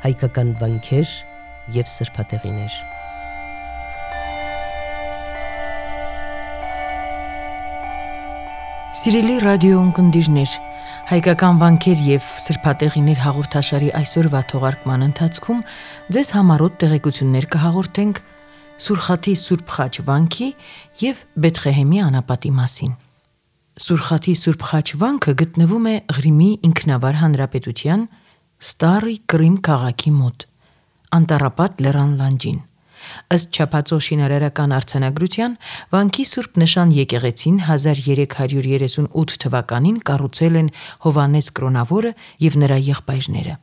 հայկական վանքեր և սրբատեղիներ։ Սիրելի ռադիո ունկնդիրներ, հայկական վանքեր և սրբատեղիներ հաղորդաշարի այսօրվա թողարկման ընթացքում ձեզ համառոտ տեղեկություններ կհաղորդենք Սուրխաթի Սուրբ Խաչ վանքի և Բեթղեհեմի անապատի մասին։ Սուրխաթի Սուրբ Խաչ վանքը գտնվում է Ղրիմի ինքնավար հանրապետության Ստարի Կրիմ քաղաքի մոտ, Անտառապատ լեռան լանջին։ Ըստ չափածո շինարարական արձանագրության, վանքի Սուրբ Նշան եկեղեցին 1338 թվականին կառուցել են Հովհաննես Կրոնավորը և նրա եղբայրները։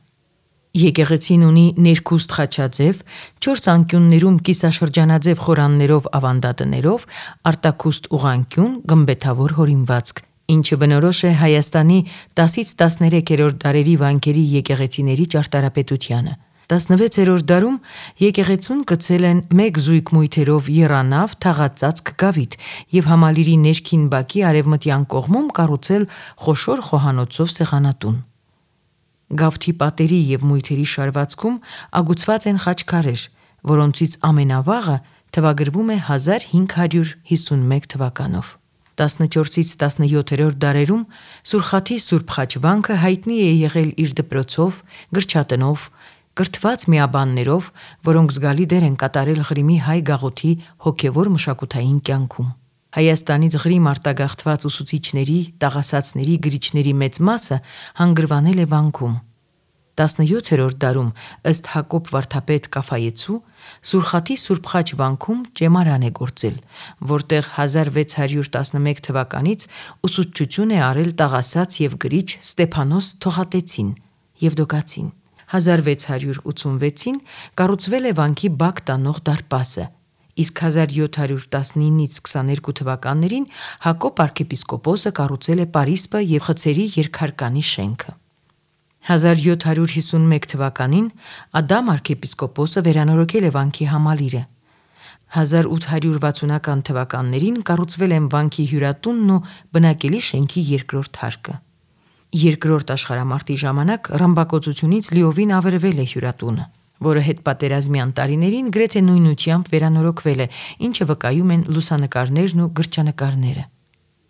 Եկեղեցին ունի ներքուստ խաչաձև, 4 անկյուններում կիսաշրջանաձև խորաններով ավանդատներով, արտաքուստ ուղղանկյուն, գմբեթավոր հորինվածք, ինչը բնորոշ է Հայաստանի 10-13-րդ դարերի վանքերի եկեղեցիների ճարտարապետությանը։ 16-րդ դարում եկեղեցուն կցել են մեկ զույգ մույթերով եռանավ թաղածածկ գավիթ և համալիրի ներքին բակի արևմտյան կողմում կառուցել խոշոր խոհանոցով սեղանատուն։ Գավթի պատերի և մույթերի շարվածքում ագուցված են խաչքարեր, որոնցից ամենավաղը թվագրվում է 1551 թվականով։ 14-ից 17-րդ դարերում Սուրխաթի Սուրբ Խաչ վանքը հայտնի է եղել իր դպրոցով, գրչատնով, կրթված միաբաններով, որոնք զգալի դեր են կատարել Ղրիմի հայ գաղութի հոգևոր մշակութային կյանքում։ Հայաստանից Ղրիմ արտագաղթված ուսուցիչների, տաղասացների, գրիչների մեծ մասը հանգրվանել է վանքում։ 17-րդ դարում, ըստ Հակոբ վարդապետ Կաֆայեցու, Սուրխաթի Սուրբ Խաչ վանքում ճեմարան է գործել, որտեղ 1611 թվականից ուսուցչություն է արել տաղասաց և գրիչ Ստեփանոս Թողատեցին (Եվդոկացին)։ 1686-ին կառուցվել է վանքի բակ տանող դարպասը, իսկ 1719-ից 22 թվականներին Հակոբ arczepiskopos-ը կառուցել է պարիսպը և խցերի երկհարկանի շենքը։ 1751 թվականին Ադամ arczepiskopos-ը վերանորոգել է վանքի համալիրը։ 1860-ական թվականներին կառուցվել են վանքի հյուրատունն ու բնակելի շենքի երկրորդ հարկը։ Երկրորդ աշխարհամարտի ժամանակ ռմբակոծությունից լիովին ավերվել է հյուրատունը, որը հետպատերազմյան տարիներին գրեթե նույնությամբ վերանորոգվել է, ինչը վկայում են լուսանկարներն ու գրչանկարները։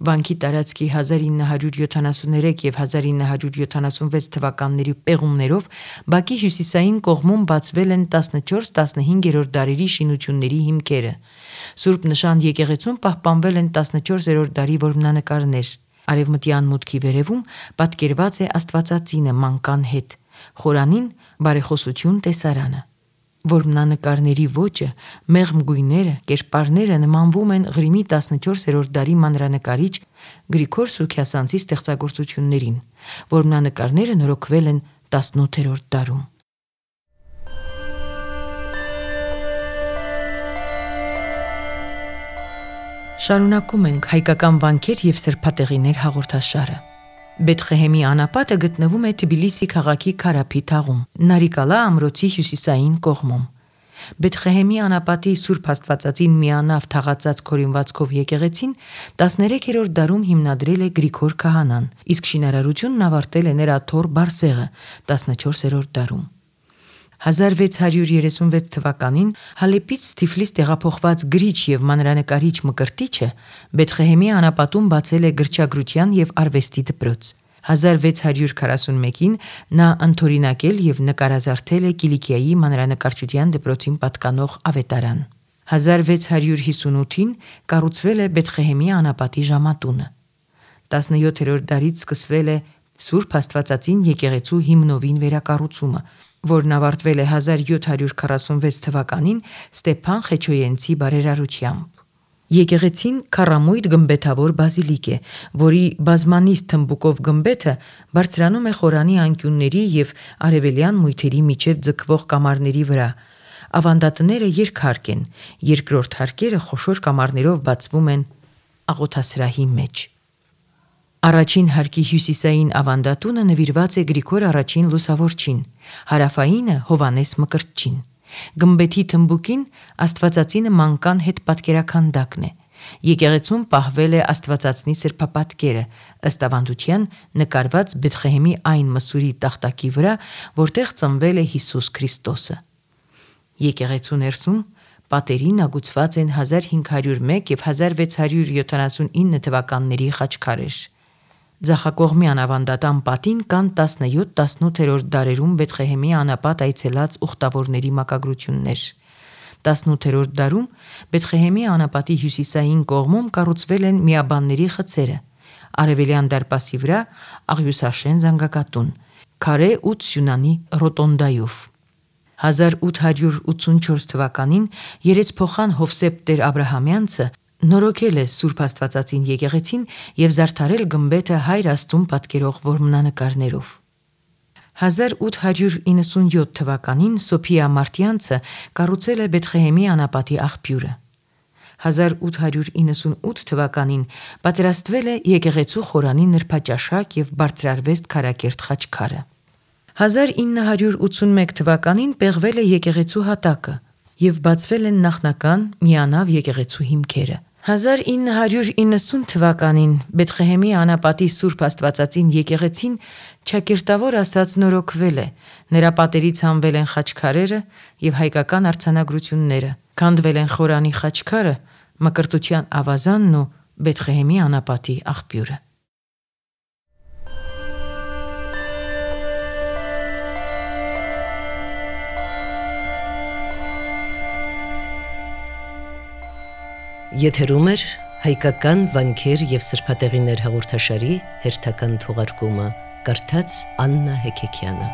Վանքի տարածքի 1973 և 1976 թվականների պեղումներով բակի հյուսիսային կողմում բացվել են 14-15-րդ դարերի շինությունների հիմքերը։ Սուրբ Նշան եկեղեցում պահպանվել են 14-րդ դարի որմնանկարներ։ Արևմտյան մուտքի վերևում պատկերված է Աստվածածինը մանկան հետ, խորանին բարեխոսություն տեսարանը։ Որմնանկարների ոճը, մեղմ գույները, կերպարները նմանվում են Ղրիմի 14-րդ դարի մանրանկարիչ Գրիգոր Սուքիասանցի ստեղծագործություններին։ Որմնանկարները նորոգվել են 18-րդ դարում։ Շարունակում ենք հայկական վանքեր և սրբատեղիներ հաղորդաշարը։ Բեթղեհեմի անապատը գտնվում է Թբիլիսի քաղաքի Քարափի թաղում, Նարիկալա ամրոցի հյուսիսային կողմում։ Բեթղեհեմի անապատի Սուրբ Աստվածածին միանավ թաղածածկ հորինվածքով եկեղեցին 13-րդ դարում հիմնադրել է Գրիգոր քահանան, իսկ շինարարությունն ավարտել է նրա թոռ Բարսեղը 14-րդ դարում։ 1636 թվականին Հալեպից Թիֆլիս տեղափոխված գրիչ և մանրանկարիչ Մկրտիչը Բեթղեհեմի անապատում բացել է գրչագրության և արվեստի դպրոց։ 1641-ին նա ընդօրինակել և նկարազարդել է Կիլիկիայի մանրանկարչության դպրոցին պատկանող ավետարան։ 1658-ին կառուցվել է Բեթղեհեմի անապատի ժամատունը։ 17-րդ դարից սկսվել է Սուրբ Աստվածածին եկեղեցու հիմնովին վերակառուցումը, որն ավարտվել է 1746 թվականին Ստեփան Խեչոյենցի բարերարությամբ։ Եկեղեցին քառամույթ գմբեթավոր բազիլիկ է, որի բազմանիստ թմբուկով գմբեթը բարձրանում է խորանի անկյունների և արևելյան մույթերի միջև ձգվող կամարների վրա։ Ավանդատները երկհարկ են, երկրորդ հարկերը խոշոր կամարներով բացվում են աղոթասրահի մեջ։ Առաջին հարկի հյուսիսային ավանդատունը նվիրված է Գրիգոր I Լուսավորչին, հարավայինը Հովհաննես Մկրտչին։ Գմբեթի թմբուկին Աստվածածինը մանկան հետ պատկերաքանդակն է։ Եկեղեցում պահվել է Աստվածածնի սրբապատկերը, ըստ ավանդության նկարված Բեթղեհեմի այն մսուրի տախտակի վրա, որտեղ ծնվել է Հիսուս Քրիստոսը։ Եկեղեցու ներսում պատերին ագուցված են 1501 եւ 1679 թվականների խաչքարեր։ Ձախակողմյան ավանդատան պատին կան 17-18-րդ դարերում Բեթղեհեմի անապատ այցելած ուխտավորների մակագրություններ։ 18-րդ դարում Բեթղեհեմի անապատի հյուսիսային կողմում կառուցվել են միաբանների խցերը, արևելյան դարպասի վրա աղյուսաշեն զանգակատուն, քարե 8 սյունանի ռոտոնդայով։ 1884 թվականին երեցփոխան Հովսեփ Տեր Աբրահամյանցը նորոգել է Սուրբ Աստվածածին եկեղեցին եւ զարդարել գմբեթը Հայր Աստծուն պատկերող որմնանկարներով։ 1897 թվականին Սոփիա Մարտյանցը կառուցել է Բեթղեհեմի անապատի աղբյուրը։ 1898 թվականին պատրաստվել է եկեղեցու խորանի նրբաճաշակ եւ բարձրարվեստ քարակերտ խաչքարը։ 1981 թվականին պեղվել է եկեղեցու հատակը եւ բացվել են նախնական միանավ եկեղեցու հիմքերը։ 1990 թվականին Բեթղեհեմի անապատի Սուրբ Աստվածածին եկեղեցին ճակերտավոր ասած նորոգվել է, նրա պատերից հանվել են խաչքարերը եւ հայկական արձանագրությունները, քանդվել են խորանի խաչքարը, Մկրտության ավազանն ու Բեթղեհեմի անապատի աղբյուրը։ Եթերում է հայկական վանքեր եւ սրբատեղիներ հաղորդաշարի հերթական թողարկումը, կարդաց Աննա Հեքեքյանը։